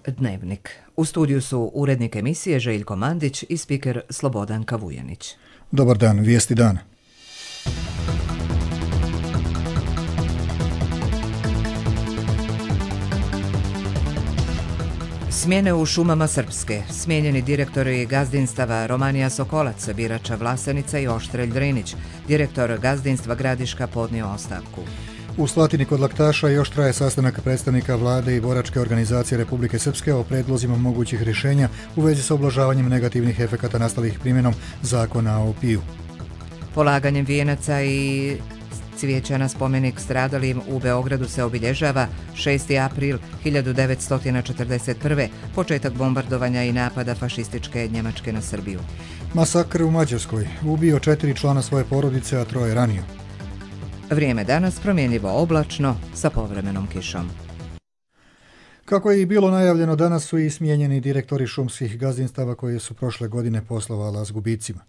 Dnevnik. U studiju su urednik emisije Željko Mandić i spiker Slobodan Kavujanić. Dobar dan, vijesti dana. Smjene u šumama Srpske. Smijenjeni direktori gazdinstava Romanija Sokolac, Birača Vlasenica i Oštrelj Drinić. Direktor gazdinstva Gradiška podnio ostavku. U Slatini kod Laktaša još traje sastanak predstavnika vlade i boračke organizacije Republike Srpske o predlozima mogućih rješenja u vezi sa ublažavanjem negativnih efekata nastalih primjenom zakona o piju. Polaganjem vijenaca i cvijeća na spomenik stradalim u Beogradu se obilježava 6. april 1941. početak bombardovanja i napada fašističke Njemačke na Srbiju. Masakr u Mađarskoj. Ubio 4 člana svoje porodice, a 3 ranio. Vrijeme danas promjenljivo oblačno sa povremenom kišom. Kako je i bilo najavljeno, danas su i smijenjeni direktori šumskih gazdinstava koje su prošle godine poslovala s gubicima.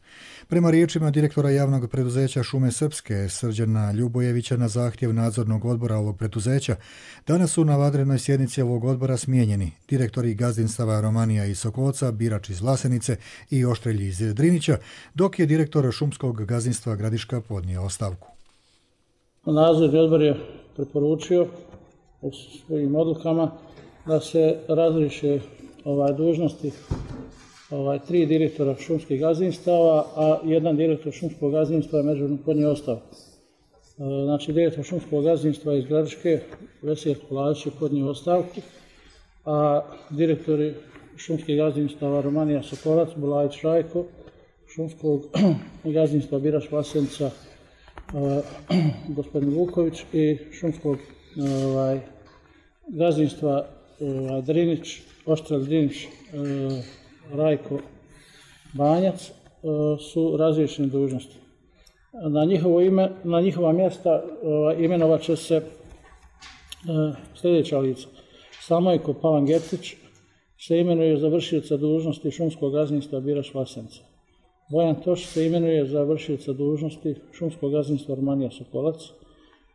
Prema riječima direktora javnog preduzeća Šume Srpske, Srđana Ljubojevića, na zahtjev nadzornog odbora ovog preduzeća, danas su na vanrednoj sjednici ovog odbora smijenjeni direktori gazdinstava Romanija iz Sokolca, Birač iz Vlasenice i Oštrelj iz Drinića, dok je direktor šumskog gazdinstva Gradiška podnio ostavku. Nadzorni odbor je preporučio u svojim odlukama da se razriješe dužnosti 3 direktora šumskih gazdinstava, a 1 direktor šumskog gazdinstva je međuvremeno podnio ostavku. Znači, direktor šumskog gazdinstva iz Gradiške, Veselj Koladić, je podnio ostavku, a direktori šumskih gazdinstava Romanija Sokolac, Bulajić Rajko, šumskog gazdinstva Birač Vlasenica, gospodin Vuković, i šumskog gazdinstva Drinić, Oštrelj Drinić, Rajko Banjac su razriješeni dužnosti. Na njihova mjesta imenovat će se sljedeća lica. Samojko Palangetić se imenuje za vršioca dužnosti šumskog gazdinstva Birač Vlasenica. Bojan Toš se imenuje za vršioca dužnosti šumskog gazdinstva Romanija Sokolac.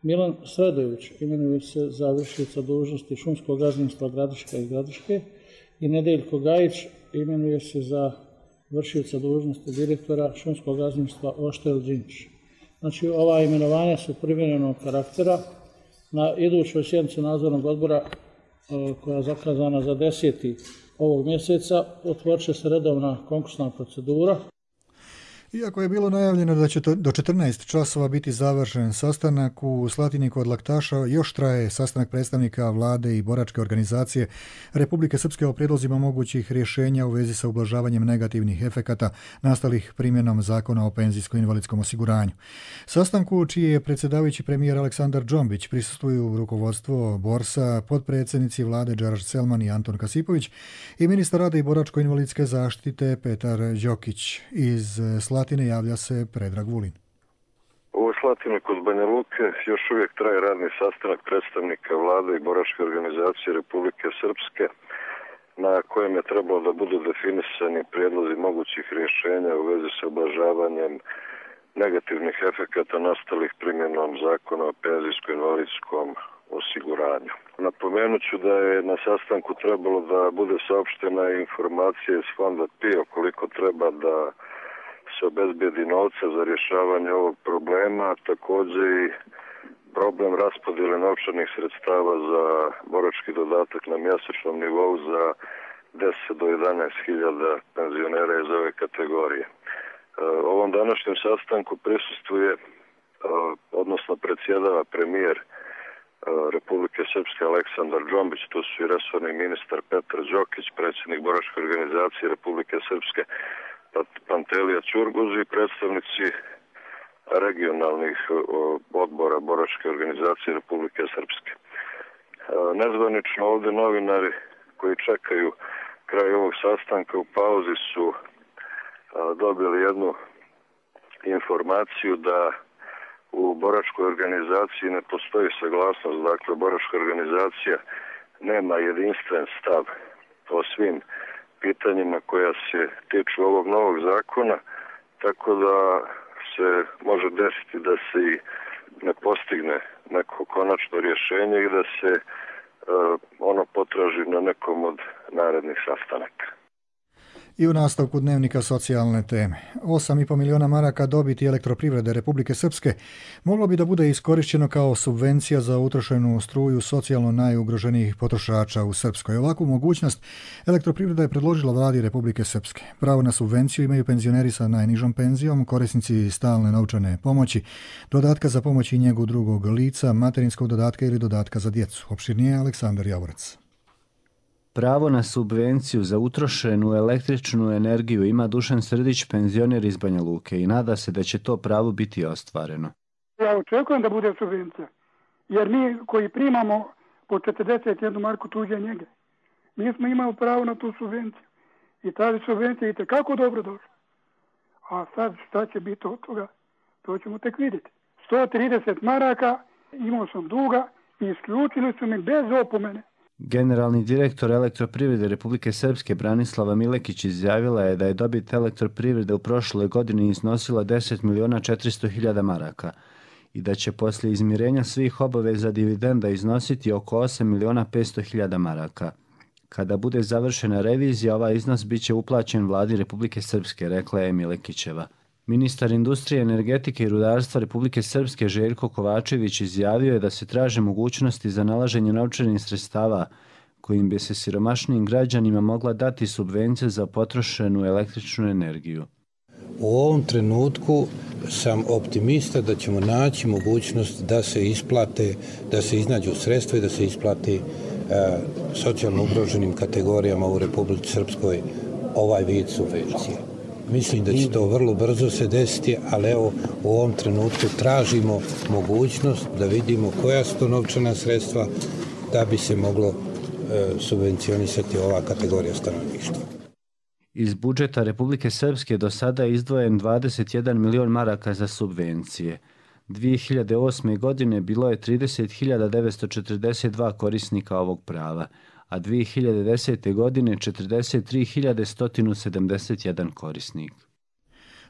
Milan Sredojević imenuje se za vršioca dužnosti šumskog gazdinstva Gradiška i Gradiške i Nedeljko Gajić imenuje se za vršioca dužnosti direktora šumskog gazdinstva Oštrelj Drinić. Znači, ova imenovanja su privremenog karaktera. Na idućoj sjednici nadzornog odbora, koja je zakazana za 10. ovog mjeseca, otvorit će se redovna konkursna procedura. Iako je bilo najavljeno da će do 14 časova biti završen sastanak, u Slatini kod Laktaša još traje sastanak predstavnika vlade i boračke organizacije Republike Srpske o prijedlozima mogućih rješenja u vezi sa ublažavanjem negativnih efekata nastalih primjenom zakona o penzijsko-invalidskom osiguranju. Sastanku, čiji je predsjedavajući premijer Aleksandar Džombić, prisustvuju rukovodstvo Borsa, potpredsjednici vlade Đaraš Selman i Anton Kasipović i ministar rada i boračko-invalidske zaštite Petar Đokić. Iz Slatine javlja se Predrag Vulin. U Slatini kod Banja Luke još uvijek traje radni sastanak predstavnika vlade i boračke organizacije Republike Srpske, na kojem je trebalo da budu definisani prijedlozi mogućih rješenja u vezi sa ublažavanjem negativnih efekata nastalih primjenom zakona o penzijsko-invalidskom osiguranju. Napomenut ću da je na sastanku trebalo da bude saopštena informacija iz fonda PIO koliko treba da se obezbedi novca za rješavanje ovog problema, a također i problem raspodjele novčanih sredstava za borački dodatak na mjesečnom nivou za 10 do 11.000 penzionera iz ove kategorije. Ovom današnjem sastanku prisustvuje, odnosno predsjedava premijer Republike Srpske Aleksandar Džombić, tu su i resorni ministar Petar Đokić, predsjednik boračke organizacije Republike Srpske Pantelija Ćurguz i predstavnici regionalnih odbora boračke organizacije Republike Srpske. Nezvanično ovdje novinari koji čekaju kraj ovog sastanka u pauzi su dobili jednu informaciju da u boračkoj organizaciji ne postoji saglasnost, dakle boračka organizacija nema jedinstven stav o svim pitanjima koja se tiču ovog novog zakona, tako da se može desiti da se i ne postigne neko konačno rješenje i da se ono potraži na nekom od narednih sastanaka. I u nastavku dnevnika socijalne teme. 8,5 miliona maraka dobiti Elektroprivrede Republike Srpske moglo bi da bude iskorišćeno kao subvencija za utrošenu struju socijalno najugroženijih potrošača u Srpskoj. Ovakvu mogućnost Elektroprivreda je predložila vladi Republike Srpske. Pravo na subvenciju imaju penzioneri sa najnižom penzijom, korisnici stalne novčane pomoći, dodatka za pomoć i njegu drugog lica, materinskog dodatka ili dodatka za djecu. Opširnije Aleksandar Javorac. Pravo na subvenciju za utrošenu električnu energiju ima Dušan Srdić, penzioner iz Banja Luke, i nada se da će to pravo biti ostvareno. Ja očekujem da bude subvencija, jer mi koji primamo po 41 marku tuđe njege, mi smo imali pravo na tu subvenciju i ta subvencija je kako dobro došla. A sad šta će biti od toga, to ćemo tek vidjeti. 130 maraka imao sam duga i isključili su mi bez opomene. Generalni direktor Elektroprivrede Republike Srpske Branislava Milekić izjavila je da je dobit Elektroprivrede u prošloj godini iznosila 10.400.000 maraka i da će poslije izmirenja svih obaveza dividenda iznositi oko 8.500.000 maraka. Kada bude završena revizija, ovaj iznos bit će uplaćen vladi Republike Srpske, rekla je Milekićeva. Ministar industrije, energetike i rudarstva Republike Srpske Željko Kovačević izjavio je da se traže mogućnosti za nalaženje novčanih sredstava kojim bi se siromašnijim građanima mogla dati subvencija za potrošenu električnu energiju. U ovom trenutku sam optimista da ćemo naći mogućnost da se isplate, da se iznađu sredstva i da se isplati socijalno ugroženim kategorijama u Republici Srpskoj ovaj vid subvencije. Mislim da će to vrlo brzo se desiti, ali evo u ovom trenutku tražimo mogućnost da vidimo koja su to novčana sredstva da bi se moglo subvencionisati ova kategorija stanovništva. Iz budžeta Republike Srpske do sada je izdvojen 21 milion maraka za subvencije. 2008. godine bilo je 30.942 korisnika ovog prava, a 2010. godine 43.171 korisnik.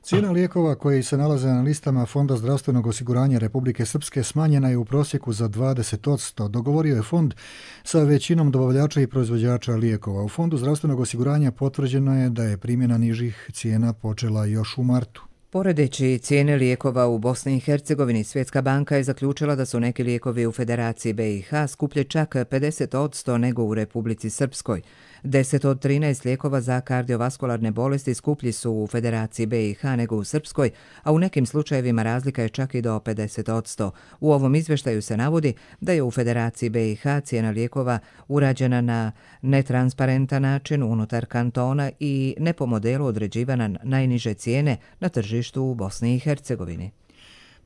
Cijena lijekova koji se nalaze na listama Fonda zdravstvenog osiguranja Republike Srpske smanjena je u prosjeku za 20%, dogovorio je fond sa većinom dobavljača i proizvođača lijekova. U Fondu zdravstvenog osiguranja potvrđeno je da je primjena nižih cijena počela još u martu. Poredeći cijene lijekova u Bosni i Hercegovini, Svjetska banka je zaključila da su neki lijekovi u Federaciji BiH skuplje čak 50% nego u Republici Srpskoj. 10 od 13 lijekova za kardiovaskularne bolesti skuplji su u Federaciji BiH nego u Srpskoj, a u nekim slučajevima razlika je čak i do 50%. U ovom izvještaju se navodi da je u Federaciji BiH cijena lijekova urađena na netransparentan način unutar kantona i ne po modelu određivana najniže cijene na tržištu u Bosni i Hercegovini.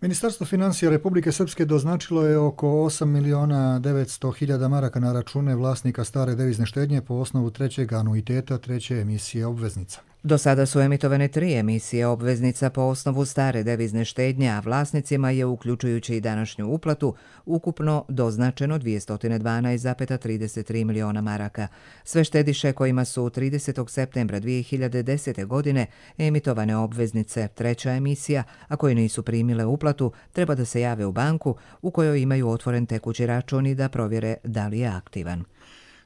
Ministarstvo financija Republike Srpske doznačilo je oko 8.900.000 maraka na račune vlasnika stare devizne štednje po osnovu trećeg anuiteta treće emisije obveznica. Do sada su emitovane 3 emisije obveznica po osnovu stare devizne štednje, a vlasnicima je, uključujući i današnju uplatu, ukupno doznačeno 212,33 miliona maraka. Sve štediše kojima su 30. septembra 2010. godine emitovane obveznice treća emisija, a koji nisu primile uplatu, treba da se jave u banku u kojoj imaju otvoren tekući račun i da provjere da li je aktivan.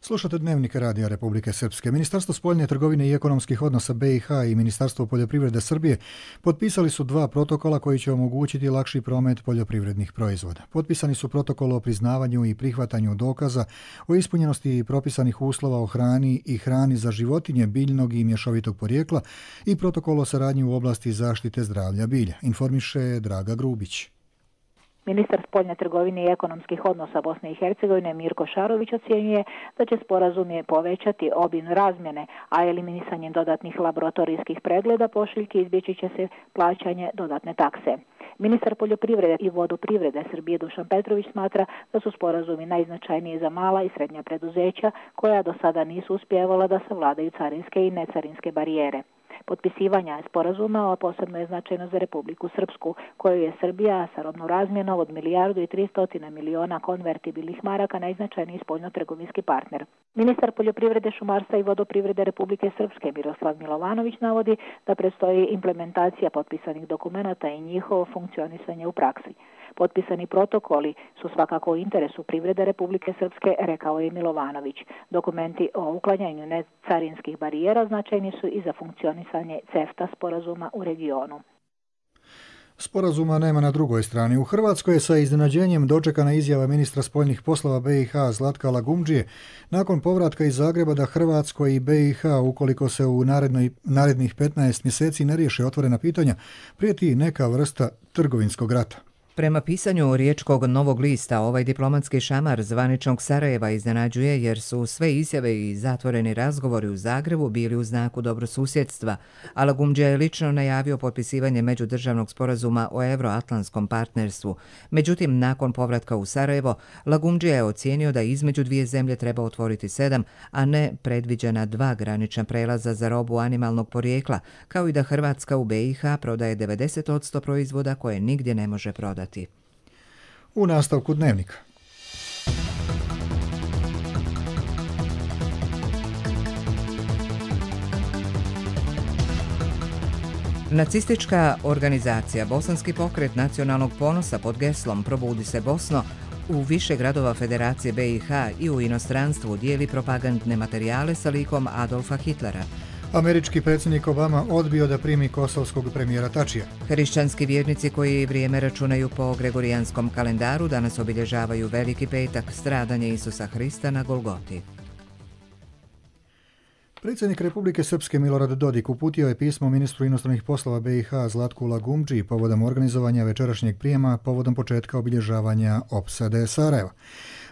Slušate Dnevnik Radija Republike Srpske. Ministarstvo spoljne trgovine i ekonomskih odnosa BiH i Ministarstvo poljoprivrede Srbije potpisali su 2 protokola koji će omogućiti lakši promet poljoprivrednih proizvoda. Potpisani su protokol o priznavanju i prihvatanju dokaza o ispunjenosti propisanih uslova o hrani i hrani za životinje biljnog i mješovitog porijekla i protokol o saradnji u oblasti zaštite zdravlja bilja, informiše Draga Grubić. Ministar spoljne trgovine i ekonomskih odnosa Bosne i Hercegovine Mirko Šarović ocjenjuje da će sporazum povećati obim razmjene, a eliminisanjem dodatnih laboratorijskih pregleda pošiljki izbjeći će se plaćanje dodatne takse. Ministar poljoprivrede i vodoprivrede Srbije Dušan Petrović smatra da su sporazumi najznačajniji za mala i srednja preduzeća koja do sada nisu uspjevala da savladaju carinske i necarinske barijere. Potpisivanja sporazuma posebno je značajno za Republiku Srpsku, koju je Srbija sa robnom razmjenom od 1.300 miliona konvertibilnih maraka najznačajniji spoljno-trgovinski partner. Ministar poljoprivrede, šumarstva i vodoprivrede Republike Srpske Miroslav Milovanović navodi da predstoji implementacija potpisanih dokumenata i njihovo funkcionisanje u praksi. Potpisani protokoli su svakako u interesu privrede Republike Srpske, rekao je Milovanović. Dokumenti o uklanjanju necarinskih barijera značajni su i za funkcionisanje CEFTA sporazuma u regionu. Sporazuma nema na drugoj strani. U Hrvatskoj je sa iznenađenjem dočekana izjava ministra spoljnih poslova BiH Zlatka Lagumdžije nakon povratka iz Zagreba da Hrvatskoj i BiH, ukoliko se u narednih 15 mjeseci ne riješe otvorena pitanja, prijeti neka vrsta trgovinskog rata. Prema pisanju Riječkog Novog lista, ovaj diplomatski šamar zvaničnog Sarajeva iznenađuje jer su sve izjave i zatvoreni razgovori u Zagrebu bili u znaku dobrosusjedstva, a Lagumdžija je lično najavio potpisivanje međudržavnog sporazuma o euroatlantskom partnerstvu. Međutim, nakon povratka u Sarajevo, Lagumdžija je ocijenio da između dvije zemlje treba otvoriti 7, a ne predviđena 2 granična prelaza za robu animalnog porijekla, kao i da Hrvatska u BiH prodaje 90% proizvoda koje nigdje ne može prodati. U nastavku dnevnika. Nacistička organizacija Bosanski pokret nacionalnog ponosa pod geslom Probudi se Bosno u više gradova Federacije BiH i u inostranstvu dijeli propagandne materijale sa likom Adolfa Hitlera. Američki predsjednik Obama odbio da primi kosovskog premijera Tačija. Hrišćanski vjernici koji vrijeme računaju po gregorijanskom kalendaru danas obilježavaju Veliki petak, stradanje Isusa Hrista na Golgoti. Predsjednik Republike Srpske Milorad Dodik uputio je pismo ministru inostranih poslova BiH Zlatku Lagumdžiji povodom organizovanja večerašnjeg prijema povodom početka obilježavanja opsade Sarajeva.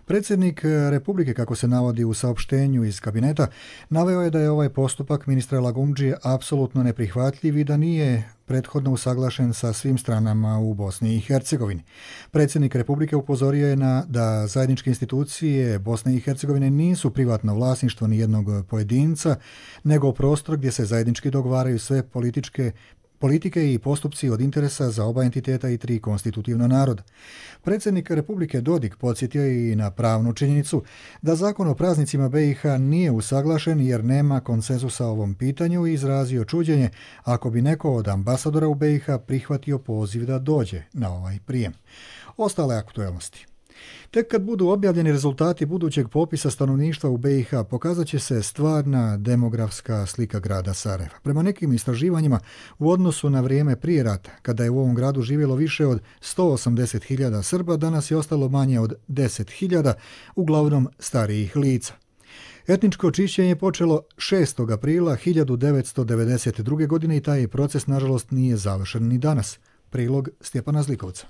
Predsjednik Republike, kako se navodi u saopštenju iz kabineta, naveo je da je ovaj postupak ministra Lagumdžije apsolutno neprihvatljiv i da nije prethodno usaglašen sa svim stranama u Bosni i Hercegovini. Predsjednik Republike upozorio je da zajedničke institucije Bosne i Hercegovine nisu privatno vlasništvo nijednog pojedinca, nego prostor gdje se zajednički dogovaraju sve politike i postupci od interesa za oba entiteta i 3 konstitutivna naroda. Predsjednik Republike Dodik podsjetio je i na pravnu činjenicu da zakon o praznicima BiH nije usaglašen jer nema konsenzusa o ovom pitanju i izrazio čuđenje ako bi neko od ambasadora u BiH prihvatio poziv da dođe na ovaj prijem. Ostale aktuelnosti. Tek kad budu objavljeni rezultati budućeg popisa stanovništva u BiH, pokazat će se stvarna demografska slika grada Sarajeva. Prema nekim istraživanjima, u odnosu na vrijeme prije rata, kada je u ovom gradu živjelo više od 180.000 Srba, danas je ostalo manje od 10.000, uglavnom starijih lica. Etničko čišćenje počelo 6. aprila 1992. godine i taj proces, nažalost, nije završen ni danas. Prilog Stjepana Zlikovca.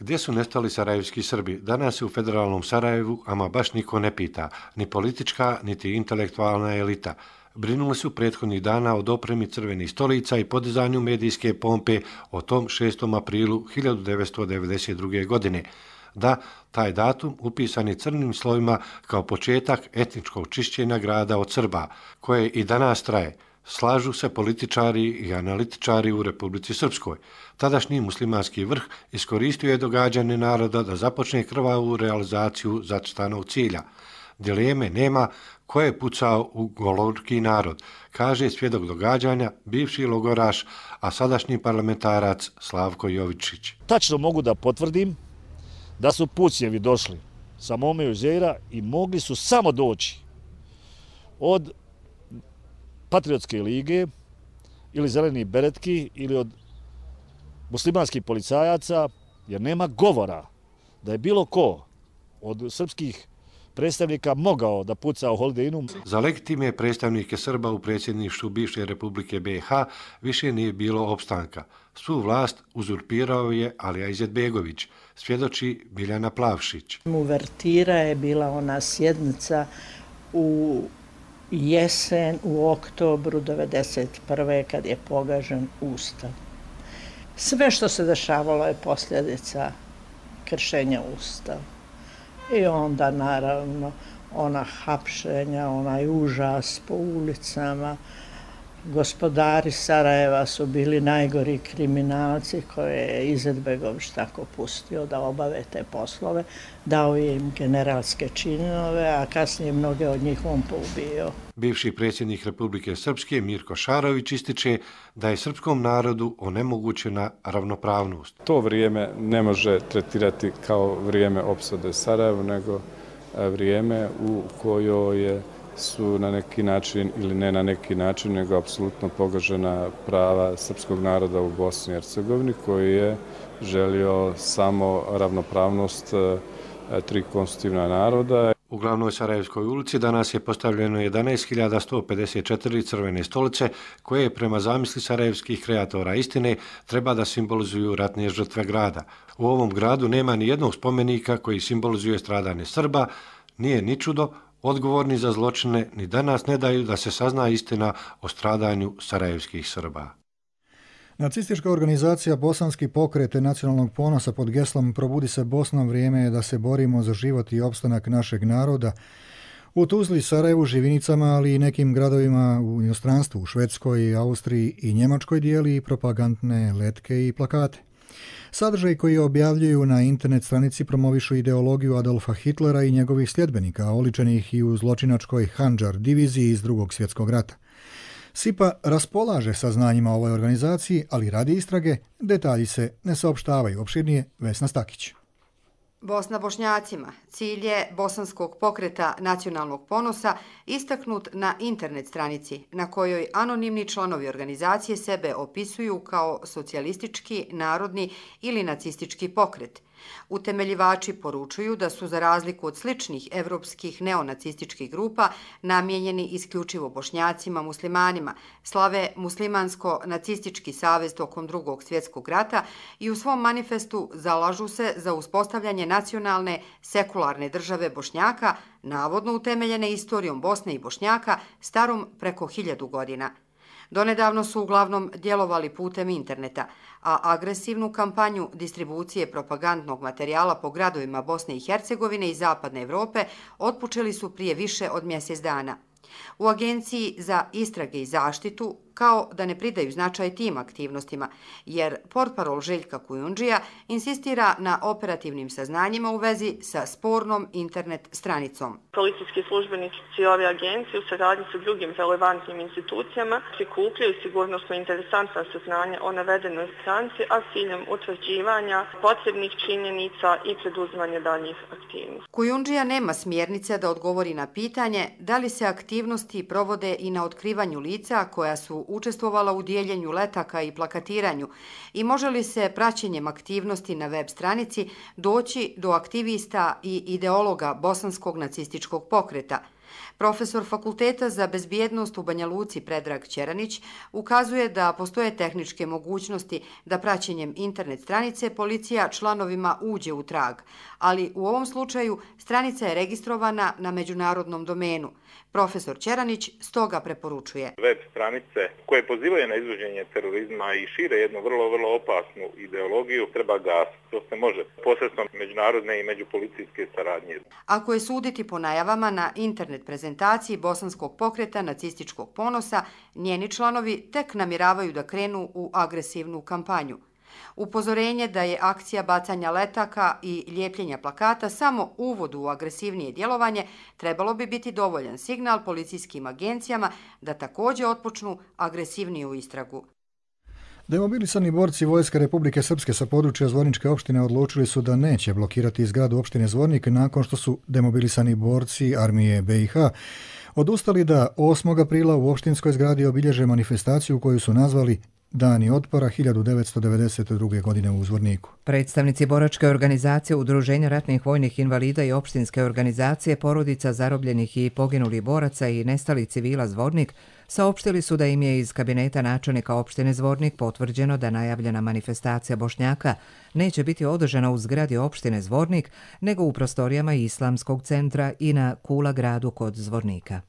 Gdje su nestali sarajevski Srbi? Danas je u federalnom Sarajevu, ama baš niko ne pita, ni politička, niti intelektualna elita. Brinuli su prethodnih dana o dopremi crvenih stolica i podizanju medijske pompe o tom 6. aprilu 1992. godine. Da, taj datum upisan je crnim slovima kao početak etničkog čišćenja grada od Srba, koje i danas traje. Slažu se političari i analitičari u Republici Srpskoj. Tadašnji muslimanski vrh iskoristio je događanje naroda da započne krvavu realizaciju zacrtanog cilja. Dileme nema ko je pucao u golorki narod, kaže svjedok događanja, bivši logoraš, a sadašnji parlamentarac Slavko Jovičić. Tačno mogu da potvrdim da su pucnjevi došli sa Mome Jezera i mogli su samo doći od Patriotske lige ili Zelenih beretki ili od muslimanskih policajaca, jer nema govora da je bilo ko od srpskih predstavnika mogao da puca u Holiday Innu. Za legitimne predstavnike Srba u predsjedništvu bivše Republike BiH više nije bilo opstanka. Svu vlast uzurpirao je Alija Izetbegović, svjedoči Biljana Plavšić. Uvertira je bila ona sjednica u jesen, u oktobru 1991. kad je pogažen Ustav. Sve što se dešavalo je posljedica kršenja Ustava. I onda naravno ona hapšenja, onaj užas po ulicama, Gospodari Sarajeva su bili najgori kriminalci koje je Izetbegović tako pustio da obave te poslove, dao im generalske činove, a kasnije mnoge od njih on poubio. Bivši predsjednik Republike Srpske Mirko Šarović ističe da je srpskom narodu onemogućena ravnopravnost. To vrijeme ne može tretirati kao vrijeme opsade Sarajeva, nego vrijeme u kojoj su na neki način ili ne na neki način, nego apsolutno pogažena prava srpskog naroda u Bosni i Hercegovini, koji je želio samo ravnopravnost tri konstitutivna naroda. U glavnoj Sarajevskoj ulici danas je postavljeno 11.154 crvene stolice koje prema zamisli sarajevskih kreatora istine treba da simbolizuju ratne žrtve grada. U ovom gradu nema ni jednog spomenika koji simbolizuje stradanje Srba, nije ni čudo, odgovorni za zločine ni danas ne daju da se sazna istina o stradanju sarajevskih Srba. Nacistička organizacija Bosanski pokret nacionalnog ponosa pod geslom Probudi se Bosna, vrijeme je da se borimo za život i opstanak našeg naroda. U Tuzli, Sarajevu, Živinicama, ali i nekim gradovima u inostranstvu, u Švedskoj, Austriji i Njemačkoj dijeli propagandne letke i plakate. Sadržaj koji objavljuju na internet stranici promovišu ideologiju Adolfa Hitlera i njegovih sljedbenika, oličenih i u zločinačkoj Handžar diviziji iz Drugog svjetskog rata. SIPA raspolaže saznanjima o ovoj organizaciji, ali radi istrage, detalji se ne saopštavaju. Opširnije Vesna Stakić. Bosna Bošnjacima, cilj je Bosanskog pokreta nacionalnog ponosa istaknut na internet stranici na kojoj anonimni članovi organizacije sebe opisuju kao socijalistički, narodni ili nacistički pokret. Utemeljivači poručuju da su za razliku od sličnih evropskih neonacističkih grupa namijenjeni isključivo Bošnjacima, muslimanima, slave muslimansko-nacistički savez tokom Drugog svjetskog rata i u svom manifestu zalažu se za uspostavljanje nacionalne sekularne države Bošnjaka, navodno utemeljene istorijom Bosne i Bošnjaka starom preko 1000 godina. Donedavno su uglavnom djelovali putem interneta, a agresivnu kampanju distribucije propagandnog materijala po gradovima Bosne i Hercegovine i Zapadne Evrope otpočeli su prije više od mjesec dana. U Agenciji za istrage i zaštitu kao da ne pridaju značaj tim aktivnostima, jer portparol Željka Kujundžija insistira na operativnim saznanjima u vezi sa spornom internet stranicom. Policijski službenici ove agencije u saradnji sa drugim relevantnim institucijama prikupljaju sigurnosno interesantna saznanja o navedenoj stranici, a s ciljem utvrđivanja potrebnih činjenica i preduzimanja daljnjih aktivnosti. Kujundžija nema smjernice da odgovori na pitanje da li se aktivnosti provode i na otkrivanju lica koja su učestvovala u dijeljenju letaka i plakatiranju i može li se praćenjem aktivnosti na web stranici doći do aktivista i ideologa bosanskog nacističkog pokreta. Profesor Fakulteta za bezbjednost u Banja Luci Predrag Ćeranić ukazuje da postoje tehničke mogućnosti da praćenjem internet stranice policija članovima uđe u trag, ali u ovom slučaju stranica je registrovana na međunarodnom domenu. Profesor Ćeranić stoga preporučuje. Web stranice koje pozivaju na izvođenje terorizma i šire jednu vrlo opasnu ideologiju treba gasiti. To se može posredstvom međunarodne i međupolicijske saradnje. Ako je suditi po najavama na internet prezentaciji Bosanskog pokreta nacističkog ponosa, njeni članovi tek namjeravaju da krenu u agresivnu kampanju. Upozorenje da je akcija bacanja letaka i lijepljenja plakata samo uvod u agresivnije djelovanje trebalo bi biti dovoljan signal policijskim agencijama da također otpočnu agresivniju istragu. Demobilisani borci Vojske Republike Srpske sa područja Zvorničke opštine odlučili su da neće blokirati zgradu opštine Zvornik nakon što su demobilisani borci armije BiH odustali da 8. aprila u opštinskoj zgradi obilježe manifestaciju koju su nazvali Dani otpora 1992. godine u Zvorniku. Predstavnici boračke organizacije Udruženja ratnih vojnih invalida i opštinske organizacije porodica zarobljenih i poginulih boraca i nestalih civila Zvornik saopštili su da im je iz kabineta načelnika opštine Zvornik potvrđeno da najavljena manifestacija Bošnjaka neće biti održana u zgradi opštine Zvornik, nego u prostorijama Islamskog centra i na Kula gradu kod Zvornika.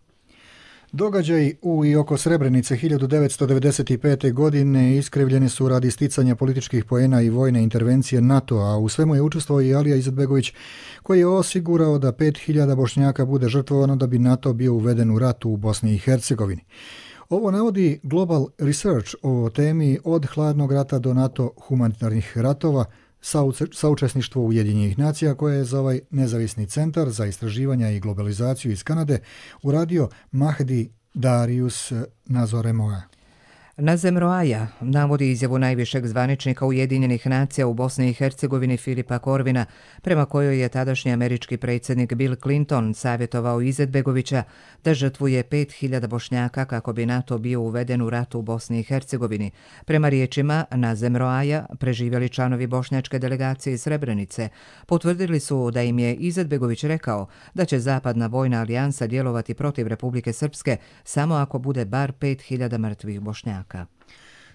Događaj u i oko Srebrenice 1995. godine iskrivljeni su radi sticanja političkih poena i vojne intervencije NATO-a, a u svemu je učestvovao i Alija Izetbegović, koji je osigurao da 5000 Bošnjaka bude žrtvovano da bi NATO bio uveden u ratu u Bosni i Hercegovini. Ovo navodi Global Research o temi od hladnog rata do NATO humanitarnih ratova, saučesništvo Ujedinjenih nacija, koje je za ovaj nezavisni centar za istraživanja i globalizaciju iz Kanade uradio Mahdi Darius Nazoremoa. Nazem Roaja navodi izjavu najvišeg zvaničnika Ujedinjenih nacija u Bosni i Hercegovini Filipa Korvina, prema kojoj je tadašnji američki predsjednik Bill Clinton savjetovao Izetbegovića da žrtvuje 5000 Bošnjaka kako bi NATO bio uveden u rat u Bosni i Hercegovini. Prema riječima Nazem Roaja, preživjeli članovi bošnjačke delegacije iz Srebrenice potvrdili su da im je Izetbegović rekao da će zapadna vojna alijansa djelovati protiv Republike Srpske samo ako bude bar 5000 mrtvih Bošnjaka.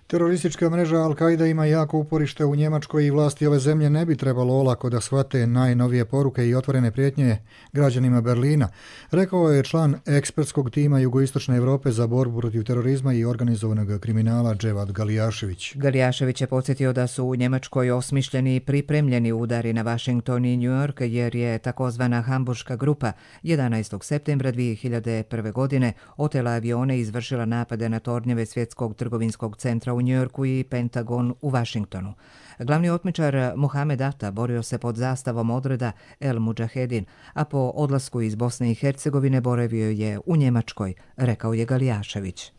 Teroristička mreža Al-Qaida ima jako uporište u Njemačkoj i vlasti ove zemlje ne bi trebalo olako da shvate najnovije poruke i otvorene prijetnje građanima Berlina, rekao je član ekspertskog tima Jugoistočne Europe za borbu protiv terorizma i organizovanog kriminala Dževad Galijašević. Galijašević je podsjetio da su u Njemačkoj osmišljeni i pripremljeni udari na Washington i New York, jer je takozvana Hamburška grupa 11. septembra 2001. godine otela avione i izvršila napade na tornjeve Svjetskog trgovinskog centra u Njujorku i Pentagon u Washingtonu. Glavni otmičar Mohamed Atta borio se pod zastavom odreda El Mujahedin, a po odlasku iz Bosne i Hercegovine boravio je u Njemačkoj, rekao je Galijašević.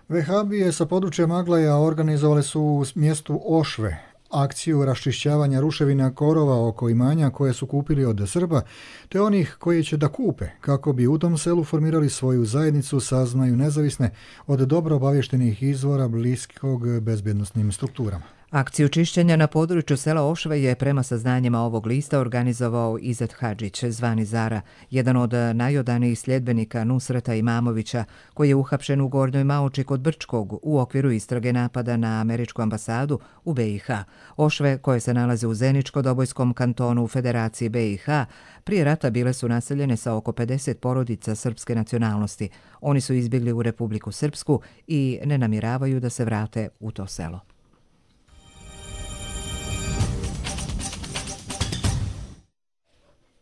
Vehabije sa područja Maglaja organizovale su u mjestu Ošve akciju raščišćavanja ruševina korova oko imanja koje su kupili od Srba, te onih koji će da kupe, kako bi u tom selu formirali svoju zajednicu, saznaju nezavisne od dobro obavještenih izvora bliskog bezbjednostnim strukturama. Akciju čišćenja na području sela Ošve je prema saznanjima ovog lista organizovao Izet Hadžić, zvani Zara, jedan od najodanijih sljedbenika Nusreta Imamovića, koji je uhapšen u Gornjoj Maoči kod Brčkog u okviru istrage napada na američku ambasadu u BiH. Ošve, koje se nalaze u Zeničko-Dobojskom kantonu u Federaciji BiH, prije rata bile su naseljene sa oko 50 porodica srpske nacionalnosti. Oni su izbjegli u Republiku Srpsku i ne namjeravaju da se vrate u to selo.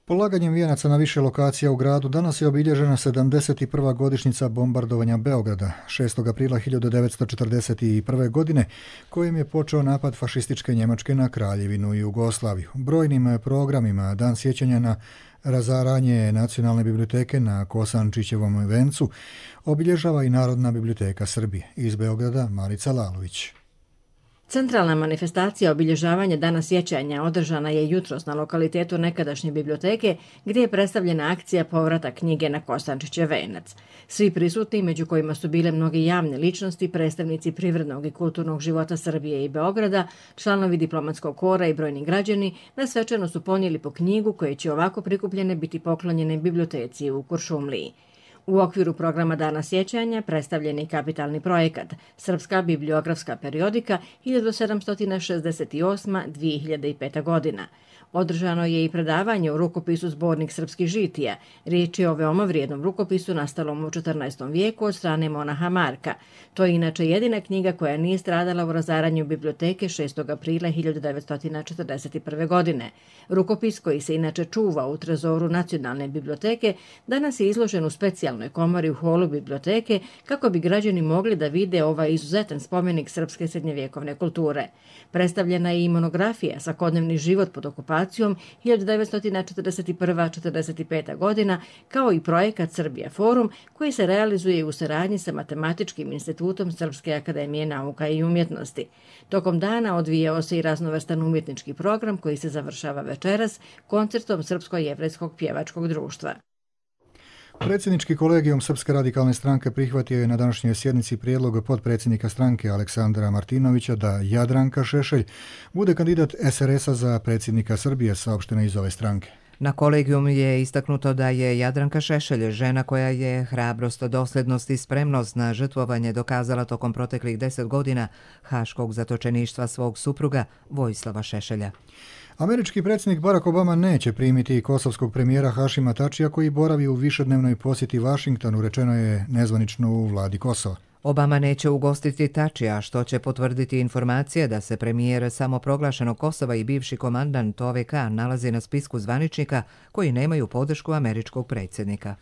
Polaganjem vijenaca na više lokacija u gradu danas je obilježena 71. godišnjica bombardovanja Beograda 6. aprila 1941. godine, kojim je počeo napad fašističke Njemačke na Kraljevinu i Jugoslaviju. Brojnim programima Dan sjećanja na razaranje Nacionalne biblioteke na Kosančićevom vencu obilježava i Narodna biblioteka Srbije. Iz Beograda Marica Lalović. Centralna manifestacija obilježavanja Dana sjećanja održana je jutros na lokalitetu nekadašnje biblioteke, gdje je predstavljena akcija povrata knjige na Kosančićev venac. Svi prisutni, među kojima su bile mnoge javne ličnosti, predstavnici privrednog i kulturnog života Srbije i Beograda, članovi diplomatskog kora i brojni građani, na svečano su ponijeli po knjigu koje će ovako prikupljene biti poklonjene biblioteci u Kuršumliji. U okviru programa Dana sjećanja predstavljen je kapitalni projekat Srpska bibliografska periodika 1768-2005 godina. Održano je i predavanje u rukopisu Zbornik srpskih žitija. Riječ je o veoma vrijednom rukopisu nastalom u 14. vijeku od strane monaha Marka. To je inače jedina knjiga koja nije stradala u razaranju biblioteke 6. aprila 1941. godine. Rukopis, koji se inače čuva u trezoru Nacionalne biblioteke, danas je izložen u specijalnoj komori u holu biblioteke kako bi građani mogli da vide ovaj izuzetan spomenik srpske srednjevjekovne kulture. Predstavljena je i monografija Svakodnevni život pod okupacijom 1941-45. godina, kao i projekat Srbija Forum, koji se realizuje u saradnji sa Matematičkim institutom Srpske akademije nauka i umjetnosti. Tokom dana odvijao se i raznovrstan umjetnički program koji se završava večeras koncertom Srpsko-jevrejskog pjevačkog društva. Predsjednički kolegijum Srpske radikalne stranke prihvatio je na današnjoj sjednici prijedlog potpredsjednika stranke Aleksandra Martinovića da Jadranka Šešelj bude kandidat SRS-a za predsjednika Srbije, saopšteno iz ove stranke. Na kolegijum je istaknuto da je Jadranka Šešelj žena koja je hrabrost, dosljednost i spremnost na žrtvovanje dokazala tokom proteklih 10 godina haškog zatočeništva svog supruga Vojislava Šešelja. Američki predsjednik Barack Obama neće primiti kosovskog premijera Hašima Tačija, koji boravi u višednevnoj posjeti Vašingtonu, rečeno je nezvanično u vladi Kosova. Obama neće ugostiti Tačija, što će potvrditi informacije da se premijer samoproglašenog Kosova i bivši komandant OVK nalazi na spisku zvaničnika koji nemaju podršku američkog predsjednika.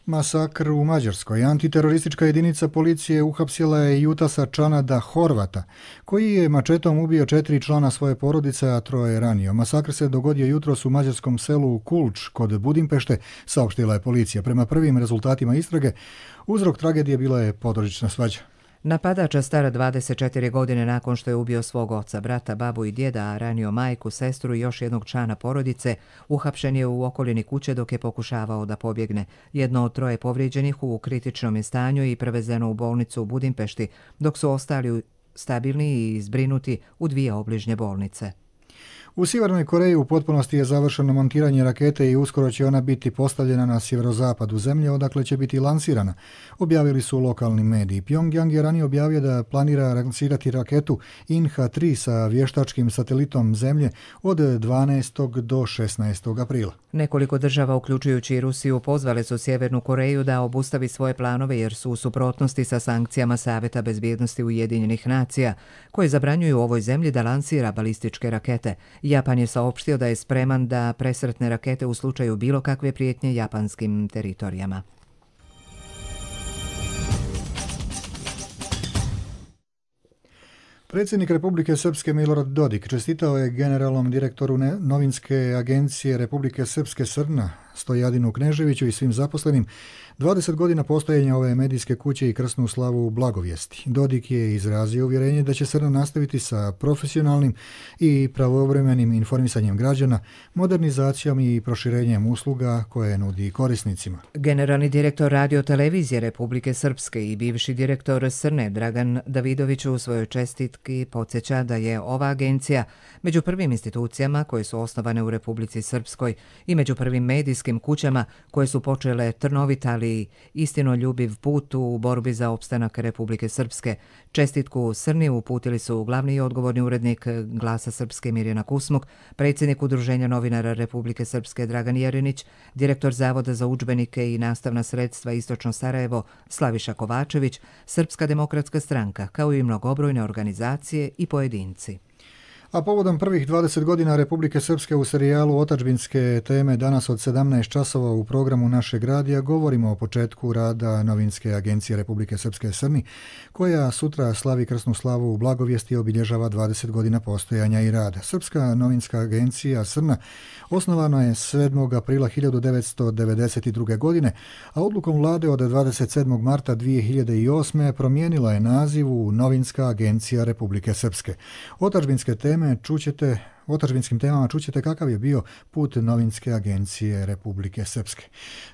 Masakr u Mađarskoj. Antiteroristička jedinica policije uhapsila je Jutasa Čanada Horvata, koji je mačetom ubio 4 člana svoje porodice, a 3 je ranio. Masakr se dogodio jutros u mađarskom selu Kulč kod Budimpešte, saopštila je policija. Prema prvim rezultatima istrage, uzrok tragedije bila je područna svađa. Napadača stara 24 godine nakon što je ubio svog oca, brata, babu i djeda, a ranio majku, sestru i još jednog člana porodice, uhapšen je u okolini kuće dok je pokušavao da pobjegne. Jedno od 3 povrijeđenih u kritičnom je stanju i prevezeno u bolnicu u Budimpešti, dok su ostali stabilni i zbrinuti u 2 obližnje bolnice. U Sjevernoj Koreji u potpunosti je završeno montiranje rakete i uskoro će ona biti postavljena na sjeverozapadu zemlje, odakle će biti lansirana, objavili su lokalni mediji. Pyongyang je ranije objavio da planira lansirati raketu Inha-3 sa vještačkim satelitom zemlje od 12. do 16. aprila. Nekoliko država, uključujući i Rusiju, pozvale su Sjevernu Koreju da obustavi svoje planove jer su u suprotnosti sa sankcijama Saveta bezbjednosti Ujedinjenih nacija, koje zabranjuju ovoj zemlji da lansira balističke rakete. Japan je saopštio da je spreman da presretne rakete u slučaju bilo kakve prijetnje japanskim teritorijama. Predsjednik Republike Srpske Milorad Dodik čestitao je generalnom direktoru novinske agencije Republike Srpske SRNA Stojadinu Kneževiću i svim zaposlenim 20 godina postojanja ove medijske kuće i krsnu slavu u Blagovijesti. Dodik je izrazio uvjerenje da će SRNA nastaviti sa profesionalnim i pravovremenim informisanjem građana, modernizacijom i proširenjem usluga koje nudi korisnicima. Generalni direktor radiotelevizije Republike Srpske i bivši direktor SRNA Dragan Davidović u svojoj čestitki podsjeća da je ova agencija među prvim institucijama koje su osnovane u Republici Srpskoj i među prvim medijskim kućama koje su počele trnovit, ali istinoljubiv put u borbi za opstanak Republike Srpske. Čestitku SRNI uputili su glavni i odgovorni urednik Glasa Srpske Mirjana Kusmuk, predsjednik Udruženja novinara Republike Srpske Dragan Jerinić, direktor Zavoda za udžbenike i nastavna sredstva Istočno Sarajevo Slaviša Kovačević, Srpska demokratska stranka, kao i mnogobrojne organizacije i pojedinci. A povodom prvih 20 godina Republike Srpske u serijalu Otadžbinske teme danas od 17 časova u programu našeg radija govorimo o početku rada novinske agencije Republike Srpske SRNI, koja sutra slavi krsnu slavu u Blagovijesti i obilježava 20 godina postojanja i rada. Srpska novinska agencija SRNA osnovana je 7. aprila 1992. godine, a odlukom vlade od 27. marta 2008. promijenila je naziv u Novinska agencija Republike Srpske. Otadžbinske teme u otadžbinskim temama čućete kakav je bio put novinske agencije Republike Srpske.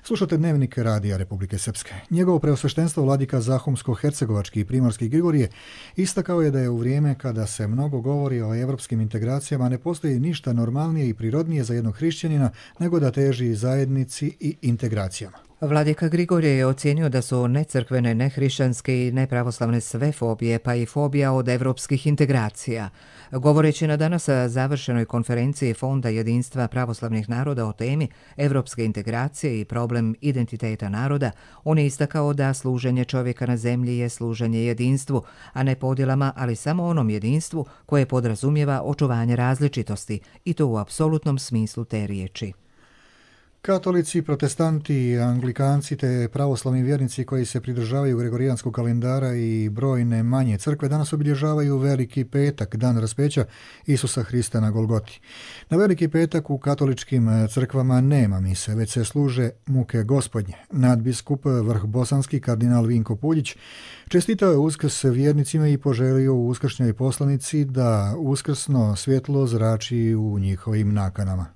Slušate Dnevnik Radija Republike Srpske. Njegovo preosveštenstvo vladika Zahumsko-hercegovački i primorski Grigorije istakao je da je u vrijeme kada se mnogo govori o evropskim integracijama ne postoji ništa normalnije i prirodnije za jednog hrišćanina nego da teži zajednici i integracijama. Vladika Grigorije je ocijenio da su necrkvene, nehrišćanske i nepravoslavne sve fobije, pa i fobija od evropskih integracija. Govoreći na danas završenoj konferenciji Fonda jedinstva pravoslavnih naroda o temi evropske integracije i problem identiteta naroda, on je istakao da služenje čovjeka na zemlji je služenje jedinstvu, a ne podjelama, ali samo onom jedinstvu koje podrazumijeva očuvanje različitosti, i to u apsolutnom smislu te riječi. Katolici, protestanti, anglikanci te pravoslavni vjernici koji se pridržavaju gregorijanskog kalendara i brojne manje crkve danas obilježavaju Veliki petak, dan raspeća Isusa Hrista na Golgoti. Na Veliki petak u katoličkim crkvama nema mise, već se služe muke Gospodnje. Nadbiskup vrhbosanski kardinal Vinko Puljić čestitao je Uskrs vjernicima i poželio u uskršnjoj poslanici da uskrsno svjetlo zrači u njihovim nakanama.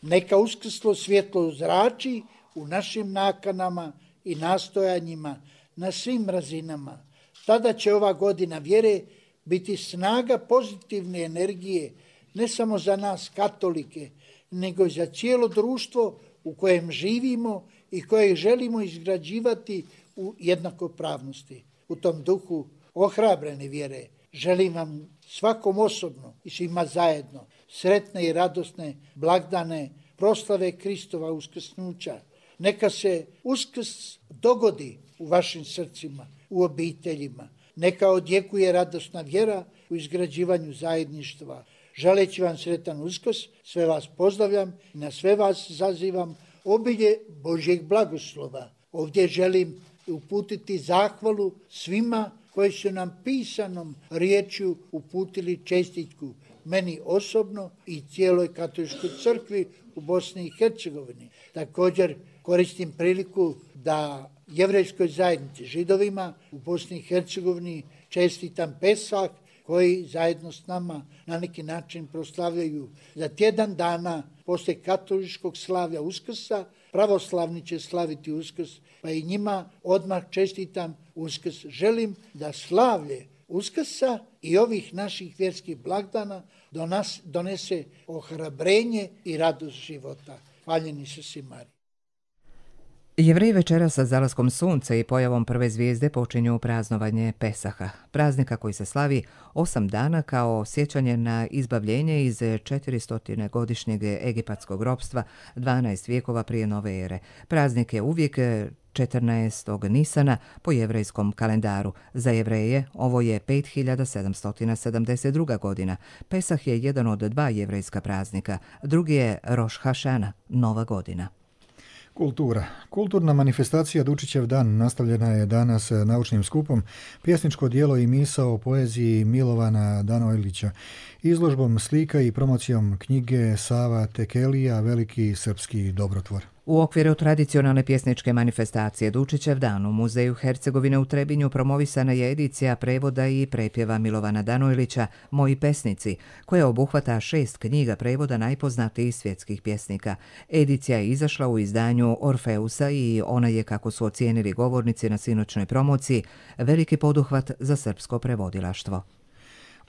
Neka uskrslo svjetlo zrači u našim nakanama i nastojanjima na svim razinama. Tada će ova godina vjere biti snaga pozitivne energije ne samo za nas katolike, nego i za cijelo društvo u kojem živimo i koje želimo izgrađivati u jednakopravnosti. U tom duhu ohrabrene vjere želim vam svakom osobno i svima zajedno sretne i radosne blagdane proslave Kristova uskrsnuća. Neka se Uskrs dogodi u vašim srcima, u obiteljima. Neka odjekuje radosna vjera u izgrađivanju zajedništva. Želeći vam sretan Uskrs, sve vas pozdravljam i na sve vas zazivam obilje Božjeg blagoslova. Ovdje želim uputiti zahvalu svima koji su nam pisanom riječju uputili čestitku, meni osobno i cijeloj katoličkoj crkvi u Bosni i Hercegovini. Također koristim priliku da jevrejskoj zajednici, Židovima u Bosni i Hercegovini čestitam Pesah, koji zajedno s nama na neki način proslavljaju za tjedan dana poslije katoličkog slavlja Uskrsa. Pravoslavni će slaviti Uskrs, pa i njima odmah čestitam Uskrs. Želim da slavlje Uskrsa i ovih naših vjerskih blagdana do nas donese ohrabrenje i radost života. Hvaljeni su si Mariji. Jevreji večera sa zalaskom sunca i pojavom prve zvijezde počinju praznovanje Pesaha, praznika koji se slavi 8 dana kao sjećanje na izbavljenje iz 400-godišnjeg egipatskog ropstva 12 vijekova prije nove ere. Praznik je uvijek 14. Nisana po jevrejskom kalendaru. Za Jevreje ovo je 5772. godina. Pesah je jedan od 2 jevrejska praznika. Drugi je Roš Hašana, Nova godina. Kultura. Kulturna manifestacija Dučićev dan nastavljena je danas naučnim skupom, pjesničko djelo i misao o poeziji Milovana Danojlića, izložbom slika i promocijom knjige Sava Tekelija, veliki srpski dobrotvor. U okviru tradicionalne pjesničke manifestacije Dučićev dan u Muzeju Hercegovine u Trebinju promovisana je edicija prevoda i prepjeva Milovana Danojlića Moji pesnici, koja obuhvata 6 knjiga prevoda najpoznatijih svjetskih pjesnika. Edicija je izašla u izdanju Orfeusa i ona je, kako su ocijenili govornici na sinoćnoj promociji, veliki poduhvat za srpsko prevodilaštvo.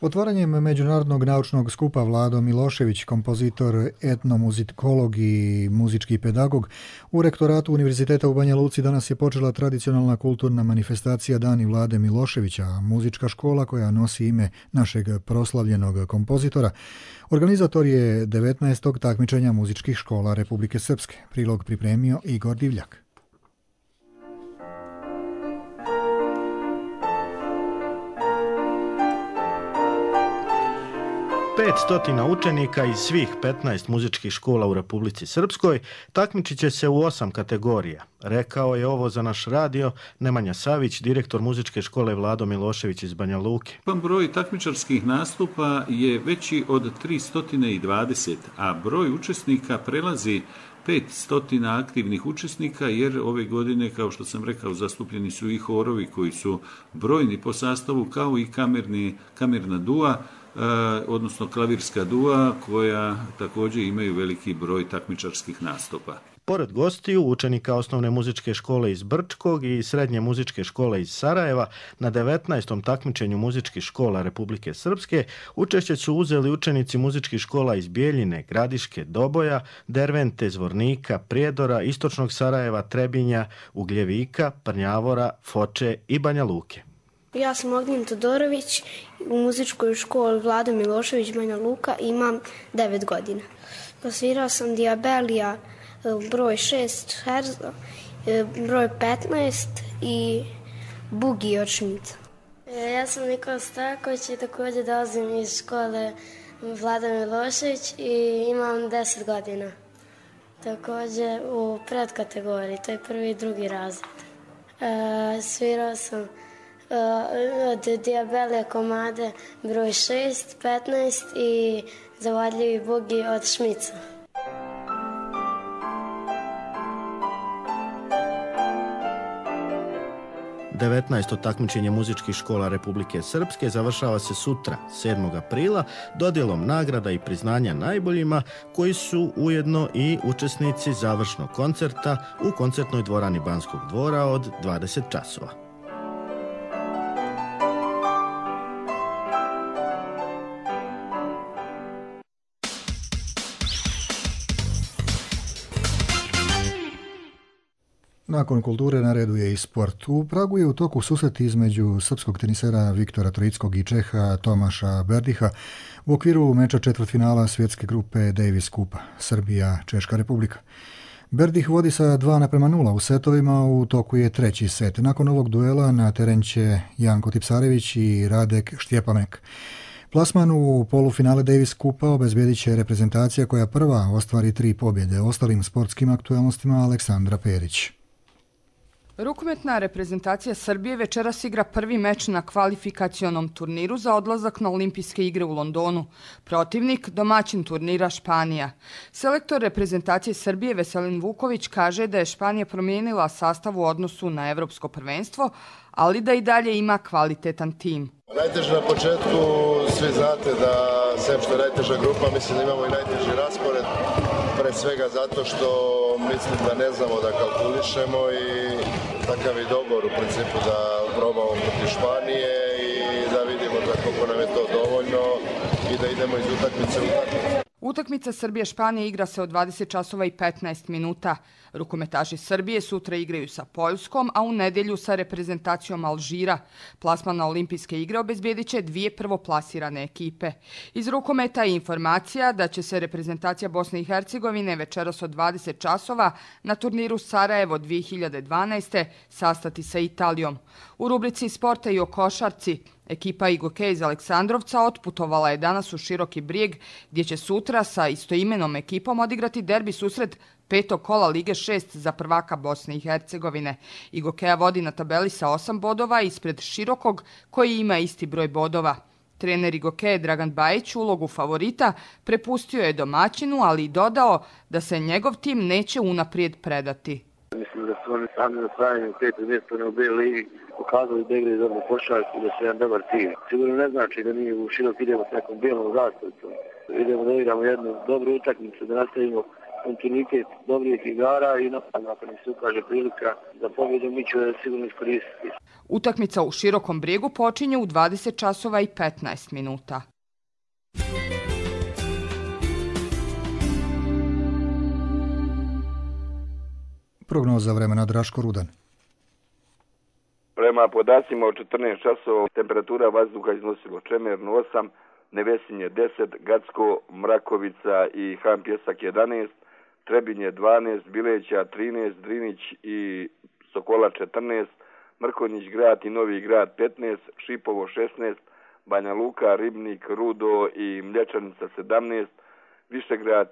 Otvaranjem međunarodnog naučnog skupa Vlado Milošević, kompozitor, etnomuzikolog i muzički pedagog, u rektoratu Univerziteta u Banja Luci danas je počela tradicionalna kulturna manifestacija Dani Vlade Miloševića, muzička škola koja nosi ime našeg proslavljenog kompozitora. Organizator je 19. takmičenja muzičkih škola Republike Srpske. Prilog pripremio Igor Divljak. 500 učenika iz svih 15 muzičkih škola u Republici Srpskoj takmičit će se u 8 kategorija. Rekao je ovo za naš radio Nemanja Savić, direktor muzičke škole Vlado Milošević iz Banja Luke. Broj takmičarskih nastupa je veći od 320, a broj učesnika prelazi 500 aktivnih učesnika, jer ove godine, kao što sam rekao, zastupljeni su i horovi koji su brojni po sastavu, kao i kamerna dua, odnosno klavirska dua, koja također imaju veliki broj takmičarskih nastupa. Pored gostiju, učenika osnovne muzičke škole iz Brčkog i srednje muzičke škole iz Sarajeva, na 19. takmičenju muzičkih škola Republike Srpske učešće su uzeli učenici muzičkih škola iz Bijeljine, Gradiške, Doboja, Dervente, Zvornika, Prijedora, Istočnog Sarajeva, Trebinja, Ugljevika, Prnjavora, Foče i Banja Luke. Ja sam Ognjen Todorović, u muzičkoj školi Vlado Milošević, Banja Luka, imam 9 godina. Svirao sam Diabelija, broj 6 herza, broj 15 i bugi od Šmica. Ja sam Nikola Staković i također dolazim iz škole Vlada Milošević i imam 10 godina. Također u predkategoriji, to je 1. i 2. razred. Svirao sam od Diabelija komade broj 6, 15 i Zavadljivi bugi od Šmica. Devetnaesto takmičenje muzičkih škola Republike Srpske završava se sutra, 7. aprila, dodjelom nagrada i priznanja najboljima, koji su ujedno i učesnici završnog koncerta u koncertnoj dvorani Banskog dvora od 20 časova. Nakon kulture na redu je i sport. U Pragu je u toku susret između srpskog tenisera Viktora Troickog i Čeha Tomaša Berdiha u okviru meča četvrtfinala svjetske grupe Davis Kupa, Srbija, Češka Republika. Berdih vodi sa 2:0 u setovima, u toku je treći set. Nakon ovog duela na teren će Janko Tipsarević i Radek Štjepanek. Plasman u polufinale Davis Kupa obezbjedit će reprezentacija koja prva ostvari 3 pobjede. Ostalim sportskim aktualnostima Aleksandra Perić. Rukometna reprezentacija Srbije večeras igra prvi meč na kvalifikacionom turniru za odlazak na Olimpijske igre u Londonu. Protivnik, domaćin turnira Španija. Selektor reprezentacije Srbije Veselin Vuković kaže da je Španija promijenila sastav u odnosu na evropsko prvenstvo, ali da i dalje ima kvalitetan tim. Najteže na početku, svi znate da sem što je najteža grupa, mislim da imamo i najteži raspored, pre svega zato što mislim da ne znamo da kalkulišemo i takav je dogovor u principu da probamo protiv Španije i da vidimo da koliko nam je to dovoljno i da idemo iz utakmice u utakmicu. Utakmica Srbije-Španije igra se od 20 časova i 15 minuta. Rukometaši Srbije sutra igraju sa Poljskom, a u nedjelju sa reprezentacijom Alžira. Plasman na Olimpijske igre obezbjedit će 2 prvoplasirane ekipe. Iz rukometa je informacija da će se reprezentacija Bosne i Hercegovine večeras od 20 časova na turniru Sarajevo 2012. sastati sa Italijom. U rubrici sporta i o košarci, ekipa Igoke iz Aleksandrovca otputovala je danas u Široki Brijeg, gdje će sutra sa istoimenom ekipom odigrati derbi susret 5. kola Lige 6 za prvaka Bosne i Hercegovine. Igokeja vodi na tabeli sa 8 bodova ispred Širokog, koji ima isti broj bodova. Trener Igokeje Dragan Bajić ulogu favorita prepustio je domaćinu, ali i dodao da se njegov tim neće unaprijed predati. Mislim da su oni sami na osvajanju 5. mjesta u B ligi pokazali da igraju dobro košarku i da su jedan dobar tim. Sigurno ne znači da mi u Širok idemo s nekom bijelom zastavicom. Idemo da igramo jednu dobru utakmicu, da nastavimo kontinuitet dobrih igara i nakon se ukaže prilika za pobjedu, mi ćemo sigurno iskoristiti. Utakmica u Širokom Brijegu počinje u 20 časova i 15 minuta. Prognoza vremena Draško Rudan. Prema podacima od 14 časova temperatura vazduha iznosilo Čemerno 8, Nevesinje 10, Gacko, Mrakovica i Han Pjesak 11, Trebinje 12, Bileća 13, Drinić i Sokola 14, Mrkonjić grad i Novi grad 15, Šipovo 16, Banja Luka, Ribnik, Rudo i Mlječanica 17, Višegrad,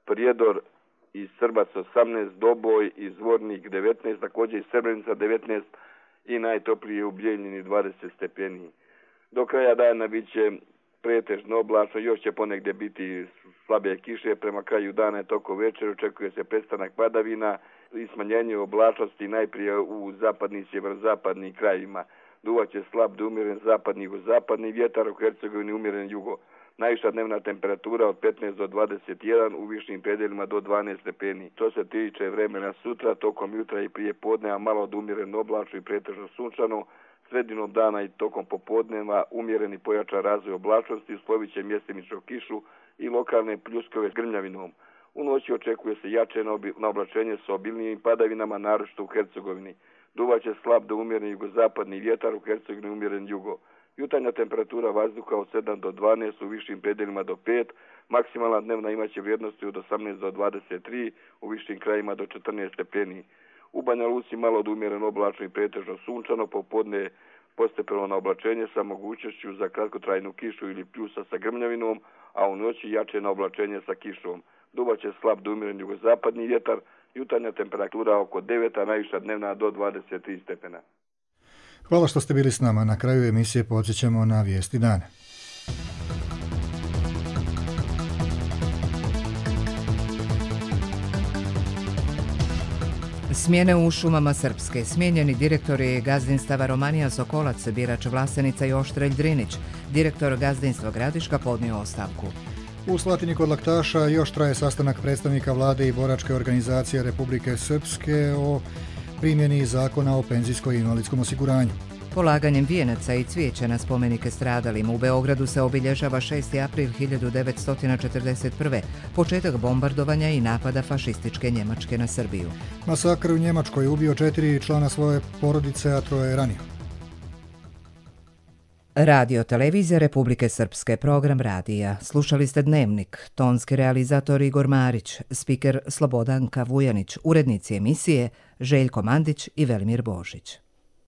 Prijedor i Srbac 18, Doboj i Zvornik 19, također i Srebrenica 19 i najtoplije u Bijeljini 20 stepeni. Do kraja dana bit će pretežno oblačno, još će ponegdje biti slabe kiše, prema kraju dana je toko večer, očekuje se prestanak padavina i smanjenje oblačnosti najprije u zapadnim i sjeverozapadnim krajevima. Duvaće slab do umjeren zapadni i jugozapadni vjetar, u Hercegovini umjeren jugo. Najviša dnevna temperatura od 15 do 21, u višim predeljima do 12 stepeni. To se tiče vremena sutra, tokom jutra i prije podneva malo od umjereno oblačno i pretežno sunčano, sredinom dana i tokom popodneva umjereni pojačan razvoj oblačnosti, uslovit će mjestimično kišu i lokalne pljuskove s grmljavinom. U noći očekuje se jače na oblačenje sa obilnijim padavinama, naročito u Hercegovini. Duvaće slab do umjeren jugozapadni vjetar, u Hercegovini umjeren jugo. Jutarnja temperatura vazduha od 7 do 12, u višim predeljima do 5, maksimalna dnevna imaće vrijednosti od 18 do 23, u višim krajima do 14 stepeni. U Banja Luci malo od umjereno oblačno i pretežno sunčano, popodne postepeno na oblačenje sa mogućnošću za kratkotrajnu kišu ili pljusa sa grmljavinom, a u noći jače na oblačenje sa kišom. Duvaće slab do umjeren jugozapadni vjetar, jutarnja temperatura oko 9, a najviša dnevna do 23 stepena. Hvala što ste bili s nama. Na kraju emisije podsjećamo na vijesti dana. Smjene u šumama Srpske. Smijenjeni direktori gazdinstava Romanija Sokolac, Birač Vlasenica i Oštrelj Drinić. Direktor gazdinstva Gradiška podnio ostavku. U Slatini kod Laktaša još traje sastanak predstavnika vlade i boračke organizacije Republike Srpske o primjeni zakona o penzijskoj i invalidskom osiguranju. Polaganjem vijenaca i cvijeća na spomenike stradalima u Beogradu se obilježava 6. april 1941. početak bombardovanja i napada fašističke Njemačke na Srbiju. Masakr u Njemačkoj ubio 4 člana svoje porodice, a 3 je ranio. Radio televizija Republike Srpske, program radija. Slušali ste Dnevnik, tonski realizator Igor Marić, spiker Slobodanka Vujanić, urednici emisije Željko Mandić i Velimir Božić.